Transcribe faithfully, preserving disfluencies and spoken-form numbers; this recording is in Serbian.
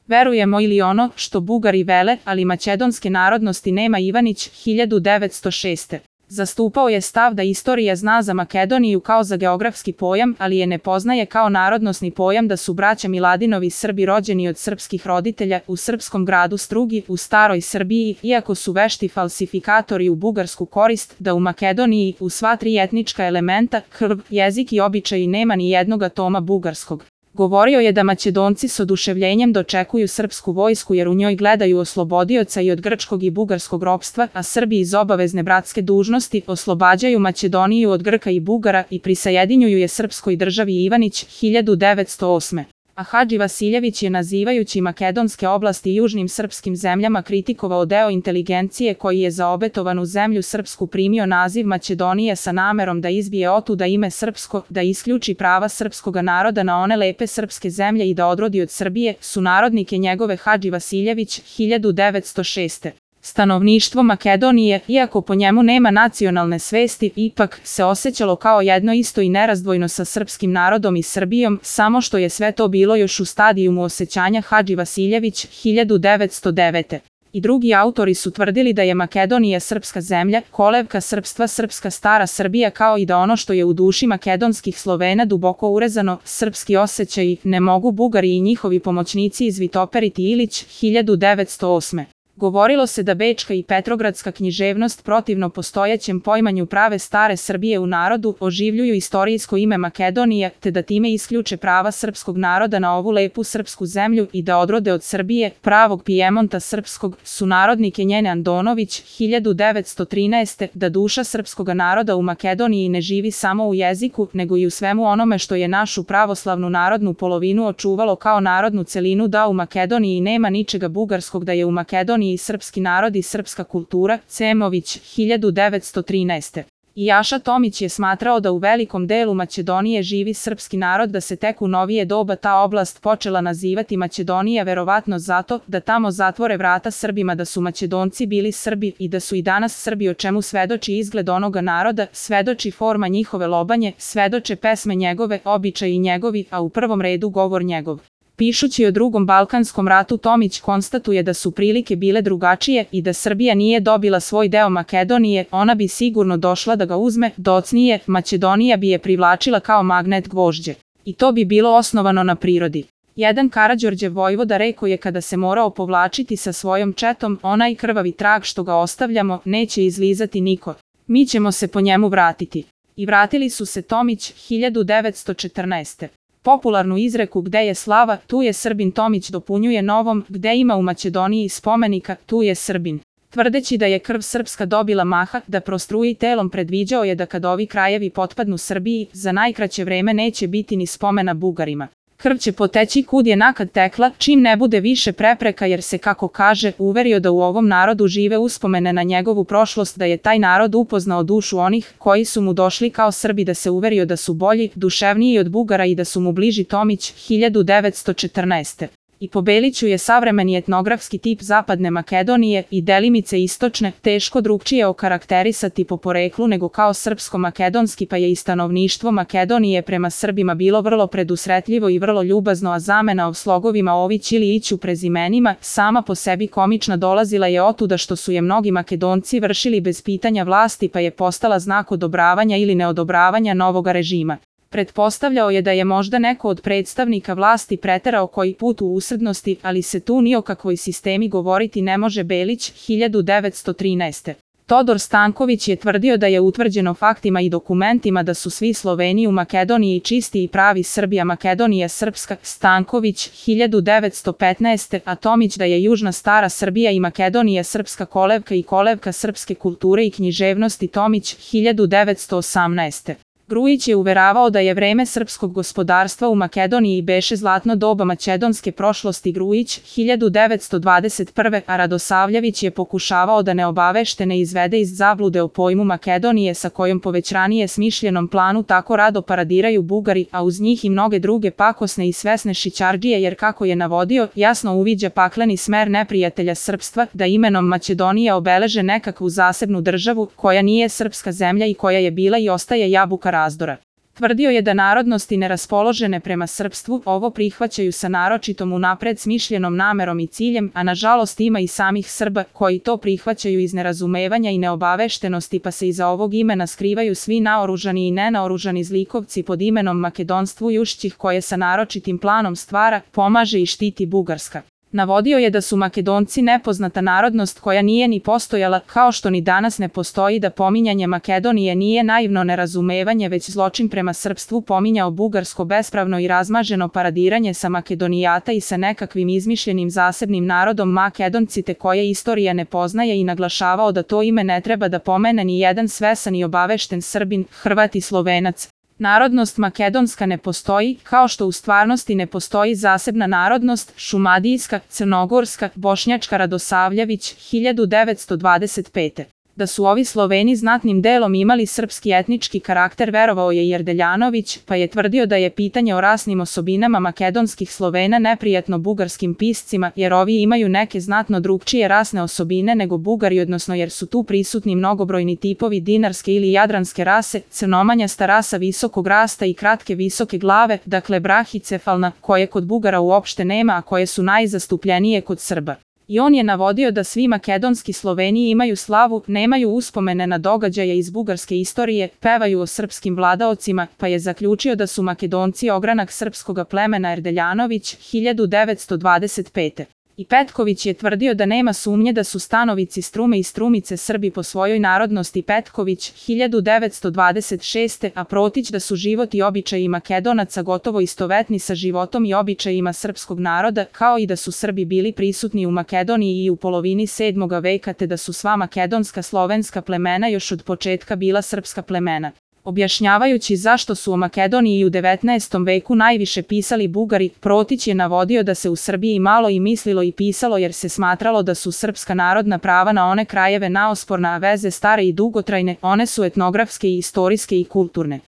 Verujemo ili ono što Bugari vele, ali makedonske narodnosti nema Ivanić, hiljadu devetsto šeste. Zastupao je stav da istorija zna za Makedoniju kao za geografski pojam, ali je ne poznaje kao narodnosni pojam, da su braća Miladinovi Srbi rođeni od srpskih roditelja u srpskom gradu Strugi u staroj Srbiji, iako su vešti falsifikatori u bugarsku korist, da u Makedoniji u sva tri etnička elementa, krv, jezik i običaji nema ni jednog atoma bugarskog. Govorio je da Makedonci s oduševljenjem dočekuju srpsku vojsku jer u njoj gledaju oslobodioca i od grčkog i bugarskog ropstva, a Srbi iz obavezne bratske dužnosti oslobađaju Makedoniju od Grka i Bugara i prisajedinjuju je srpskoj državi Ivanić, hiljadu devetsto osme. A Hadži Vasiljević je, nazivajući makedonske oblasti južnim srpskim zemljama, kritikovao deo inteligencije koji je za obetovanu zemlju srpsku primio naziv Makedonije sa namerom da izbije otuda ime srpsko, da isključi prava srpskoga naroda na one lepe srpske zemlje i da odrodi od Srbije sunarodnike njegove. Hadži Vasiljević, hiljadu devetsto šeste. Stanovništvo Makedonije, iako po njemu nema nacionalne svesti, ipak se osjećalo kao jedno isto i nerazdvojno sa srpskim narodom i Srbijom, samo što je sve to bilo još u stadijumu osjećanja. Hadži Vasiljević, hiljadu devetsto devete. I drugi autori su tvrdili da je Makedonija srpska zemlja, kolevka srpstva, srpska stara Srbija, kao i da ono što je u duši makedonskih Slovena duboko urezano, srpski osjećaji, ne mogu Bugari i njihovi pomoćnici izvitoperiti. Ilić, hiljadu devetsto osme. Govorilo se da bečka i petrogradska književnost protivno postojećem poimanju prave stare Srbije u narodu oživljuju istorijsko ime Makedonije, te da time isključe prava srpskog naroda na ovu lepu srpsku zemlju i da odrode od Srbije, pravog Pijemonta srpskog, sunarodnike njene. Andonović, hiljadu devetsto trinaeste. Da duša srpskoga naroda u Makedoniji ne živi samo u jeziku, nego i u svemu onome što je našu pravoslavnu narodnu polovinu očuvalo kao narodnu celinu, da u Makedoniji nema ničega bugarskog, da je u Makedoniji i srpski narod i srpska kultura. Cemović, hiljadu devetsto trinaeste. I Jaša Tomić je smatrao da u velikom delu Makedonije živi srpski narod, da se tek u novije doba ta oblast počela nazivati Makedonija, verovatno zato da tamo zatvore vrata Srbima, da su Makedonci bili Srbi i da su i danas Srbi, o čemu svedoči izgled onoga naroda, svedoči forma njihove lobanje, svedoče pesme njegove, običaji njegovi, a u prvom redu govor njegov. Pišući o drugom Balkanskom ratu, Tomić konstatuje da su prilike bile drugačije i da Srbija nije dobila svoj deo Makedonije, ona bi sigurno došla da ga uzme, docnije, Makedonija bi je privlačila kao magnet gvožđe. I to bi bilo osnovano na prirodi. Jedan Karađorđev vojvoda rekao je kada se morao povlačiti sa svojom četom, onaj krvavi trag što ga ostavljamo neće izlizati niko. Mi ćemo se po njemu vratiti. I vratili su se. Tomić, hiljadu devetsto četrnaeste. Popularnu izreku gde je slava, tu je Srbin Tomić dopunjuje novom, gde ima u Makedoniji spomenika, tu je Srbin. Tvrdeći da je krv srpska dobila maha, da prostruji telom, predviđao je da kad ovi krajevi potpadnu Srbiji, za najkraće vreme neće biti ni spomena Bugarima. Krv će poteći kud je nakad tekla, čim ne bude više prepreka, jer se, kako kaže, uverio da u ovom narodu žive uspomene na njegovu prošlost, da je taj narod upoznao dušu onih koji su mu došli kao Srbi, da se uverio da su bolji, duševniji od Bugara i da su mu bliži. Tomić, hiljadu devetsto četrnaeste. I po Beliću je savremeni etnografski tip zapadne Makedonije i delimice istočne teško drugčije okarakterisati po poreklu nego kao srpsko-makedonski, pa je i stanovništvo Makedonije prema Srbima bilo vrlo predusretljivo i vrlo ljubazno, a zamena o slogovima Ović ili Ić u prezimenima, sama po sebi komična, dolazila je otuda što su je mnogi Makedonci vršili bez pitanja vlasti, pa je postala znak odobravanja ili neodobravanja novoga režima. Pretpostavljao je da je možda neko od predstavnika vlasti preterao koji put u usrednosti, ali se tu ni o kakvoj sistemi govoriti ne može. Belić, hiljadu devetsto trinaeste. Todor Stanković je tvrdio da je utvrđeno faktima i dokumentima da su svi Sloveni u Makedoniji čisti i pravi Srbi, a Makedonija srpska. Stanković, hiljadu devetsto petnaeste. A Tomić da je južna stara Srbija i Makedonija srpska kolevka i kolevka srpske kulture i književnosti. Tomić, hiljadu devetsto osamnaeste. Grujić je uveravao da je vreme srpskog gospodarstva u Makedoniji beše zlatno doba makedonske prošlosti. Grujić, hiljadu devetsto dvadeset prve. A Radosavljević je pokušavao da neobaveštene izvede iz zablude o pojmu Makedonije, sa kojom po već ranije smišljenom planu tako rado paradiraju Bugari, a uz njih i mnoge druge pakosne i svesne šićardžije, jer kako je navodio, jasno uviđa pakleni smer neprijatelja srpstva, da imenom Makedonija obeleže nekakvu zasebnu državu koja nije srpska zemlja i koja je bila i ostaje jabuka razdora. Tvrdio je da narodnosti neraspoložene prema srpstvu ovo prihvaćaju sa naročitom unapred smišljenom namerom i ciljem, a nažalost ima i samih Srba koji to prihvaćaju iz nerazumevanja i neobaveštenosti, pa se iza ovog imena skrivaju svi naoružani i nenaoružani zlikovci pod imenom makedonstvujušćih koje sa naročitim planom stvara, pomaže i štiti Bugarska. Navodio je da su Makedonci nepoznata narodnost koja nije ni postojala, kao što ni danas ne postoji, da pominjanje Makedonije nije naivno nerazumevanje već zločin prema srpstvu, pominjao bugarsko bespravno i razmaženo paradiranje sa Makedonijata i sa nekakvim izmišljenim zasebnim narodom Makedonci te koje istorija ne poznaje i naglašavao da to ime ne treba da pomene ni jedan svesan i obavešten Srbin, Hrvat i Slovenac. Narodnost makedonska ne postoji, kao što u stvarnosti ne postoji zasebna narodnost šumadijska, crnogorska, bošnjačka. Radosavljević, hiljadu devetsto dvadeset pete. Da su ovi Sloveni znatnim delom imali srpski etnički karakter verovao je i Erdeljanović, pa je tvrdio da je pitanje o rasnim osobinama makedonskih Slovena neprijatno bugarskim piscima, jer ovi imaju neke znatno drugčije rasne osobine nego Bugari, odnosno jer su tu prisutni mnogobrojni tipovi dinarske ili jadranske rase, crnomanjasta rasa visokog rasta i kratke visoke glave, dakle brahicefalna, koje kod Bugara uopšte nema, a koje su najzastupljenije kod Srba. I on je navodio da svi makedonski Sloveni imaju slavu, nemaju uspomene na događaje iz bugarske istorije, pevaju o srpskim vladaocima, pa je zaključio da su Makedonci ogranak srpskoga plemena. Erdeljanović, hiljadu devetsto dvadeset pete. I Petković je tvrdio da nema sumnje da su stanovici Strume i Strumice Srbi po svojoj narodnosti. Petković, hiljadu devetsto dvadeset šeste. a Protić da su život i običaji Makedonaca gotovo istovetni sa životom i običajima srpskog naroda, kao i da su Srbi bili prisutni u Makedoniji i u polovini sedmoga veka te da su sva makedonska slovenska plemena još od početka bila srpska plemena. Objašnjavajući zašto su o Makedoniji u devetnaestom veku najviše pisali Bugari, Protić je navodio da se u Srbiji malo i mislilo i pisalo jer se smatralo da su srpska narodna prava na one krajeve naosporna, a veze stare i dugotrajne, one su etnografske i istorijske i kulturne.